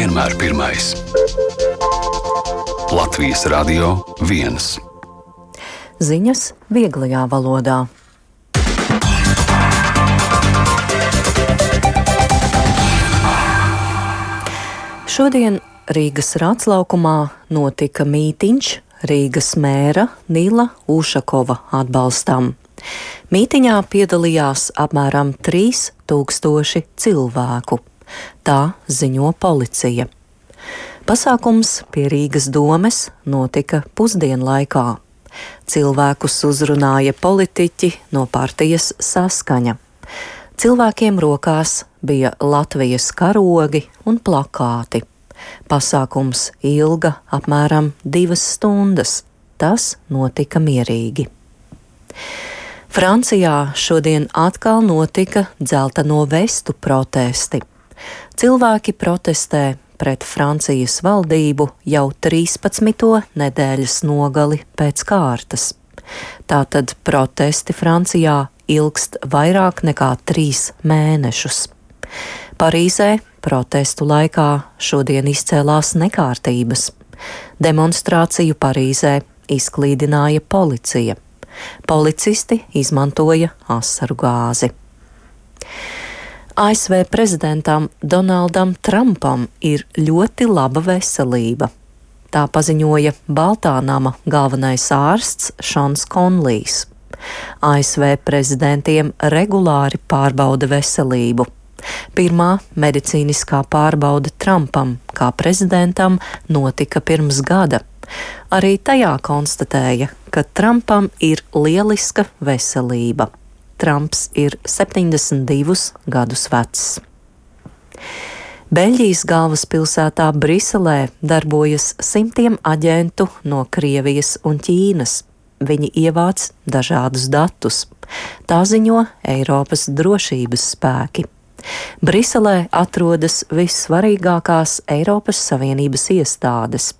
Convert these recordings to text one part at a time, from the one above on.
vienmēr pirmais. Latvijas Radio 1. Ziņas vieglajā valodā. Šodien Rīgas Rāclaukumā notika mītiņš Rīgas mēra Nila Ušakova atbalstam. Mītiņā piedalījās apmēram 3000 cilvēku. Tā ziņo policija. Pasākums pie Rīgas domes notika pusdienlaikā. Cilvēkus uzrunāja politiķi no partijas Saskaņa. Cilvēkiem rokās bija Latvijas karogi un plakāti. Pasākums ilga apmēram 2 stundas. Tas notika mierīgi. Francijā šodien atkal notika dzelteno vestu protesti. Cilvēki protestē pret Francijas valdību jau 13. nedēļas nogali pēc kārtas. Tātad protesti Francijā ilgst vairāk nekā 3 mēnešus. Parīzē protestu laikā šodien izcēlās nekārtības. Demonstrāciju Parīzē izklīdināja policija. Policisti izmantoja asaru gāzi. ASV prezidentam Donaldam Trumpam ir ļoti laba veselība. Tā paziņoja Baltā nama galvenais ārsts Šons Konlijs. ASV prezidentiem regulāri pārbauda veselību. Pirmā medicīniskā pārbaude Trumpam kā prezidentam notika pirms gada. Arī tajā konstatēja, ka Trumpam ir lieliska veselība. Trumps ir 72 gadus vecs. Beļģijas galvaspilsētā Briselē darbojas simtiem aģentu no Krievijas un Ķīnas. Viņi ievāc dažādus datus. Tā ziņo Eiropas drošības spēki. Briselē atrodas vissvarīgākās Eiropas Savienības iestādes.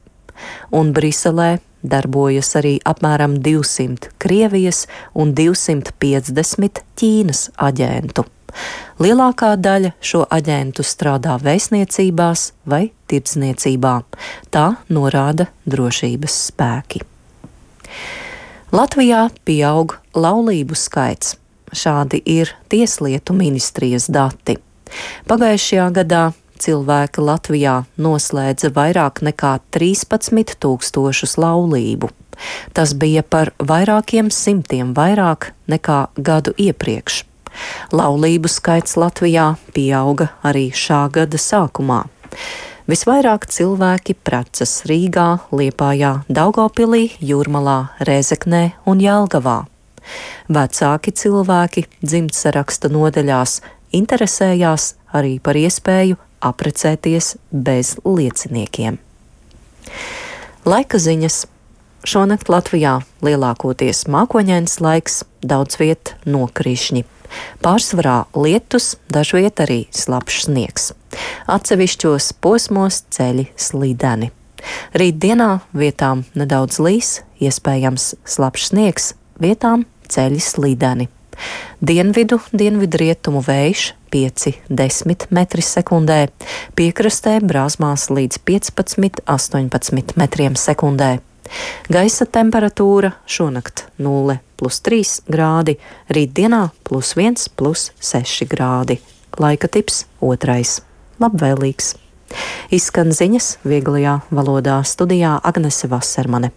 Un Briselē darbojas arī apmēram 200 Krievijas un 250 Ķīnas aģentu. Lielākā daļa šo aģentu strādā vēstniecībās vai tirdzniecībā. Tā norāda drošības spēki. Latvijā pieaug laulību skaits. Šādi ir Tieslietu ministrijas dati. Pagājušajā gadā cilvēki Latvijā noslēdza vairāk nekā 13 000 laulību. Tas bija par vairākiem simtiem vairāk nekā gadu iepriekš. Laulību skaits Latvijā pieauga arī šā gada sākumā. Visvairāk cilvēki precas Rīgā, Liepājā, Daugavpilī, Jūrmalā, Rēzeknē un Jelgavā. Vecāki cilvēki dzimtsaraksta nodaļās interesējās arī par iespēju apprecēties bez lieciniekiem. Laika ziņas. Šonakt Latvijā lielākoties mākoņains laiks, daudz viet nokrišņi. Pārsvarā lietus, dažviet arī slapjš sniegs. Atsevišķos posmos ceļi slideni. Rītdienā vietām nedaudz līs, iespējams slapjš sniegs, vietām ceļi slideni. Dienvidu-dienvidrietumu vējš 5–10 metri sekundē, piekrastē brāzmās līdz 15–18 metriem sekundē. Gaisa temperatūra šonakt 0+3 grādi, rītdienā +1+6 grādi. Laika tips 2. Labvēlīgs. Izskan ziņas vieglajā valodā, studijā Agnese Vasermane.